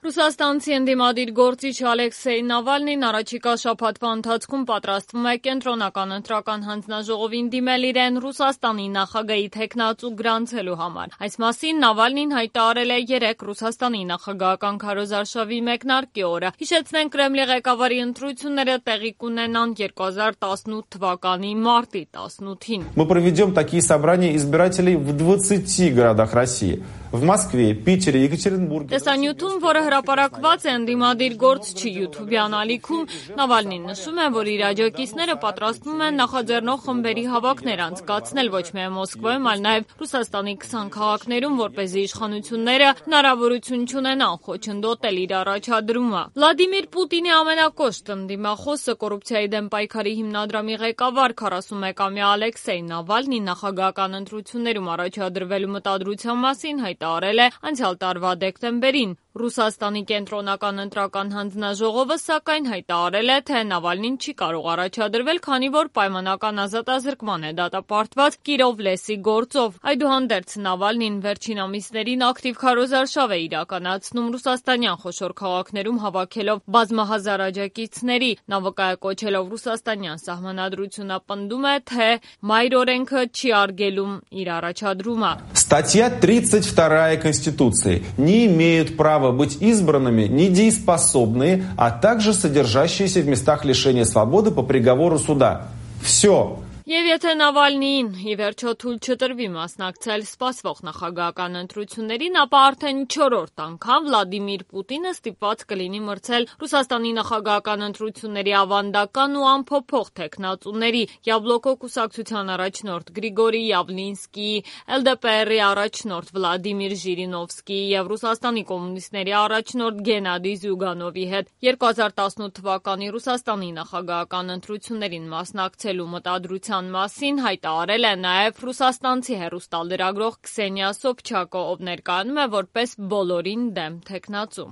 Ռուսաստանցի ընդդիմադիր գործիչ Ալեքսեյ Նավալնին առաջիկա շաբաթվա ընթացքում պատրաստվում է կենտրոնական ընտրական հանձնաժողովին դիմել իրեն Ռուսաստանի նախագահի թեկնածու գրանցելու համար։ Այս մասին Նավալնին հայտարարել է երեկ Ռուսաստանի նախագահական քարոզարշավի մեկնարկի օրը։ Հիշեցնենք, Կրեմլի ղեկավարի ընտրությունները տեղի կունենան 2018 թվականի մարտի 18-ին։ Мы проведем такие собрания избирателей в 20 городах России. В Москве, Питере, Екатеринбурге. Տեսանյութում, որը հրապարակված է ընդդիմադիր գործչի յութուբյան ալիքում, Նավալնին նշում է, որ իր աջակիցները պատրաստվում են նախաձեռնող խմբերի հավաքներ անցկացնել ոչ միայն Մոսկվայում, այլ նաև Ռուսաստանի 20 քաղաքներում, որպեսզի իշխանությունները հնարավորություն չունենան խոչընդոտել իր առաջադրումը։ Վլադիմիր Պուտինի ամենակոշտ ընդդիմախոսը, կոռուպցիայի դեմ պայքարի հիմնադրամի ղեկավար 41-ամյա Ալեքսեյ Նավալնին նախագահական ընտրություններում առաջադրվելու մտադրության մասին հայտարարել է անցյալ տարվա դեկտեմբերին։ Ռուսաստանի կենտրոնական ընտրական հանձնաժողովը սակայն հայտարարել է, թե Նավալնին չի կարող առաջադրվել, քանի որ պայմանական ազատազրկման է դատապարտված Կիրովլեսի գործով։ Այդուհանդերձ Նավալնին վերջին ամիսներին ակտիվ քարոզարշավ է իրականացնում ռուսաստանյան խոշոր քաղաքներում հավաքելով բազմահազար աջակիցների։ Նա վկայակոչելով ռուսաստանյան սահմանադրությունը պնդում է, թե մայր օրենքը չի արգելում իր առաջադրումը։ Статья 32 Конституции. Не имеют права быть избранными недееспособные, а также содержащиеся в местах лишения свободы по приговору суда. Все. Եվ եթե Նավալնիին ի վերջո թույլ չտրվի մասնակցել սպասվող նախագահական ընտրություններին, ապա արդեն 4-րդ անգամ Վլադիմիր Պուտինը ստիպված կլինի մրցել Ռուսաստանի նախագահական ընտրությունների ավանդական ու անփոփոխ թեկնածուների՝ Յաբլոկո կուսակցության առաջնորդ Գրիգորի Յավլինսկիի, ԼԴՊՌ-ի առաջնորդ Վլադիմիր Ժիրինովսկիի և Ռուսաստանի կոմունիստների առաջնորդ Գենադի Զյուգանովի հետ։ 2018 թվականի Ռուսաստանի նախագահական ընտրություններին մասնակցելու մտադրության մասին հայտարարել է նաև ռուսաստանցի հեռուստալրագրող Քսենիա Սոբչակը, ով ներկայանում է որպես բոլորին դեմ թեկնածու։